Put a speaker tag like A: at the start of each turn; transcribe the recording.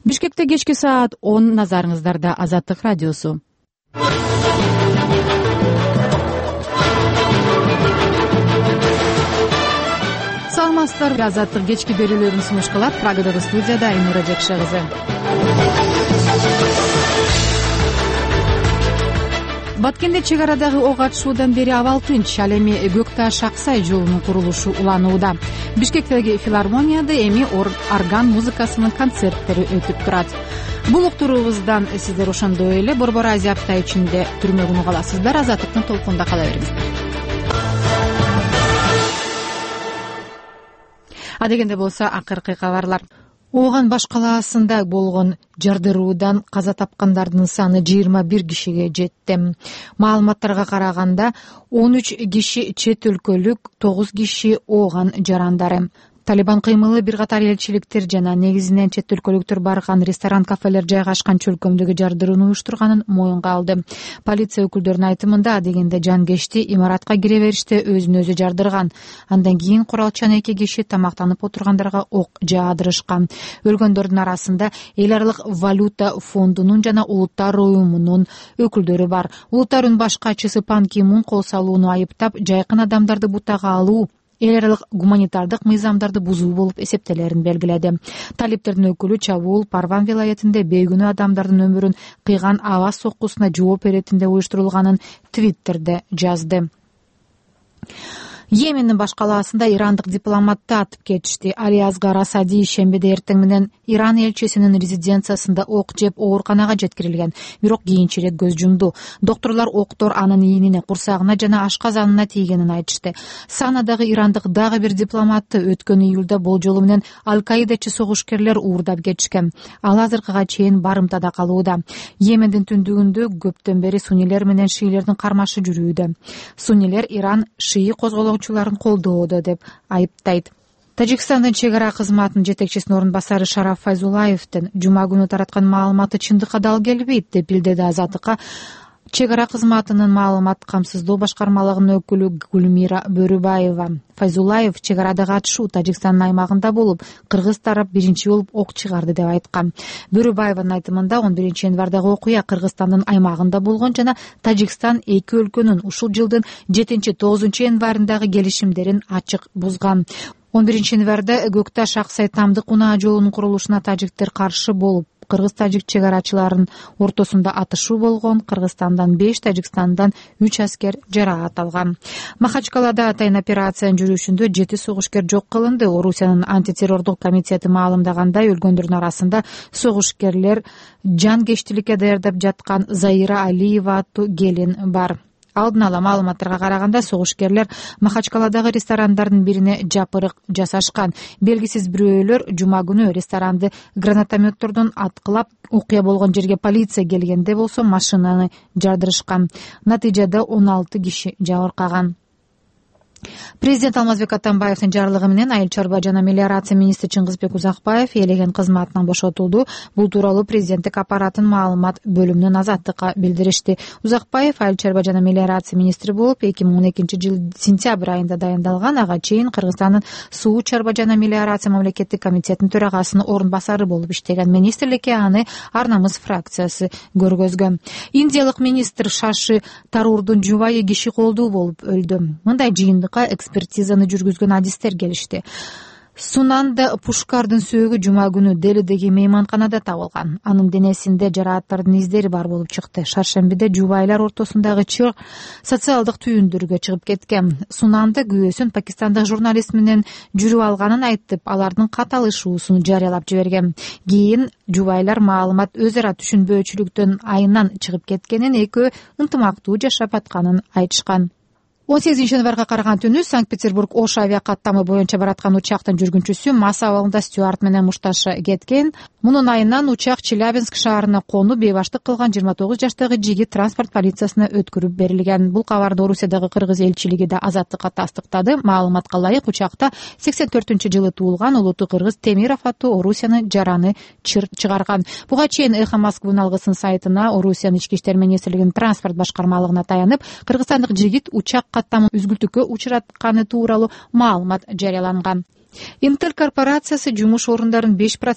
A: Бишкекте кечки саат 10 назарыңыздарда Азаттык радиосу. Саламатсыздарбы? Азаттык кечки берүүлөрүн сунуш кылат. Прагадагы студияда Айнура Жекше кызы. Баткенде чек арадагы ок атышуудан бери абал тынч. Ал эми Көкташ-Аксай жолунун курулушу уланууда. Бишкектеги филармонияда эми орган музыкасынын концерттери өтүп турат. Бул уктуруубуздан сиздер ошондой эле Борбор Азия апта ичинде түрмөгүнү каласыздар. Азаттыктын толкунда кала бериңиздер. Адегенде болсо акыркы кабарлар. Ооган баш калаасында болгон жардыруудан каза тапкандардын саны 21 кишиге жетти. Маалыматтарга караганда 13 киши чет өлкөлүк, 9 киши ооган жарандары. Талибан кыймылы бир катар элчиликтер жана негизинен чет өлкөлүктөр барган ресторан, кафелер жайгашкан чөлкөмдөгү жардырууну уюштурганын моюнга алды. Полиция өкүлдөрүнүн айтымында адегенде жанкечти имаратка кире бериште өзүн өзү жардырган. Андан кийин куралчан 2 киши тамактанып отургандарга ок жаадырышкан. Өлгөндөрдүн арасында эл аралык валюта фондунун жана улуттар уюмунун өкүлдөрү бар. Улуттар уюмунун баш катчысы Пан Ки Мун кол салууну айыптап, жайкын адамдарды бутага алуу эл аралык гуманитардык мыйзамдарды бузуу болуп эсептелерин белгиледи. Талиптердин өкүлү чабуул Парван вилаятында бейгүнөө адамдардын өмүрүн кыйган аба соккусуна жооп беретинде уюштурулганын Твиттерде жазды. Йемендин баш калаасында ирандык дипломатты атып кетишти. Али Асгар Асади шембиде эртең менен Иран элчисинин резиденциясында ок жеп ооруканага жеткирилген, бирок кийинчерээк көз жумду. Докторлор октор анын ийнине, курсагына жана ашказанына тийгенин айтышты. Санадагы ирандык дагы бир дипломатты өткөн июлда болжолу менен Аль-Каидачы согушкерлер уурдап кетишкен. Ал азыркыга чейин барымтада калууда. Йемендин түндүгүндө көптөн бери суннилер менен шиилердин кармашы жүрүүдө. Суннилер Иран шии козголоочуларын колдоодо деп айыптайт. Тажикстандын чек ара кызматынын жетекчисинин орун басары Шараф Файзулаевдин жума күнү тараткан маалыматы чындыкка дал келбейт деп билдирди Азаттыкка чек ара кызматынын маалымат камсыздоо башкармалыгынын өкүлү Гүлмира Бөрүбаева. Файзулаев чек арадагы атышуу Тажикстандын аймагында болуп, кыргыз тарап биринчи болуп ок чыгарды деп айткан. Бөрүбаеванын айтымында 11 январдагы окуя Кыргызстандын аймагында болгон жана Тажикстан эки өлкөнүн ушул жылдын 7-9 январындагы келишимдерин ачык бузган. 11 январда Көкташ-Аксай тамдык унаа жолунун курулушуна тажиктер каршы болуп, кыргыз-тажик чек арачыларынын ортосунда атышуу болгон. Кыргызстандан 5, Тажикстандан 3 аскер жараат алган. Махачкалада атайын операциянын жүрүшүндө 7 согушкер жок кылынды. Орусиянын антитеррордук комитети маалымдагандай, өлгөндөрдүн арасында согушкерлер жанкечтиликке даярдап жаткан Заира Алиева аттуу келин бар. Алдын ала маалыматтарга караганда, согушкерлер Махачкаладагы ресторандардын бирине жапырык жасашкан. Белгисиз бирөөлөр жума күнү ресторанды гранатометтордон аткылап, окуя болгон жерге полиция келгенде болсо машинаны жардырышкан. Натыйжада 16 киши жабыркаган. Президент Алмазбек Атамбаевдин жарлыгы менен айыл чарба жана мелиорация министри Чыңгызбек Узакбаев элеген кызматынан бошотулду. Бул тууралуу президенттик аппараттын маалымат бөлүмүнүн Азаттыкка билдиришти. Узакбаев айыл чарба жана мелиорация министри болуп 2012-жыл сентябрь айында дайындалган. Ага чейин Кыргызстандын суу чарба жана мелиорация мамлекеттик комитетинин төрагасынын орун басары болуп иштеген. Министрликке аны Ар намыс фракциясы көргөзгөн. Индиялык министр Шаши Тарурдун жубайы киши колдуу болуп өлдү. Мындай жыйындык экспертизаны жүргүзгөн адистер келишти. Сунанда Пушкардын сөөгү жума күнү Делидеги мейманканада табылган. Анын денесинде жарааттардын издери бар болуп чыкты. Шаршембиде жубайлар ортосундагы чыгык социалдык түйүндөргө чыгып кеткен. Сунанда күйөөсүн пакистандык журналист менен жүрүп алганын айтып, алардын каталышуусун жарыялап жиберген. Кийин жубайлар маалымат өз ара түшүнбөөчүлүктөн айынан чыгып кеткенин, экөө ынтымактуу жашап атканын айтышкан. 18 январга караган түнү Санкт-Петербург Ош авиакаттамы боюнча бараткан учактын жүргүнчүсү Мас абалында Стюарт менен мушташа кеткен. Мунун айынан учак Челябинск шаарына конуп, бейбаштык кылган 29 жаштагы жигит транспорт полициясына өткөрүп берилген. Бул кабарды Орусиядагы кыргыз элчилиги да Азаттыкка тастыктады. Маалыматка ылайык, учакта 84-жылы туулган улуттуу кыргыз Темиров аттуу Орусиянын жараны чыгарган. Буга чейин Эхо Москвы алгысын сайтына Орусиянын ички иштер министрлигинин транспорт башкармалыгына таянып, кыргызстандык жигит учак каттамы үзгүлтүккө учуратканы тууралуу маалымат жарыяланган. Интел корпорациясы жумуш орундарын 5%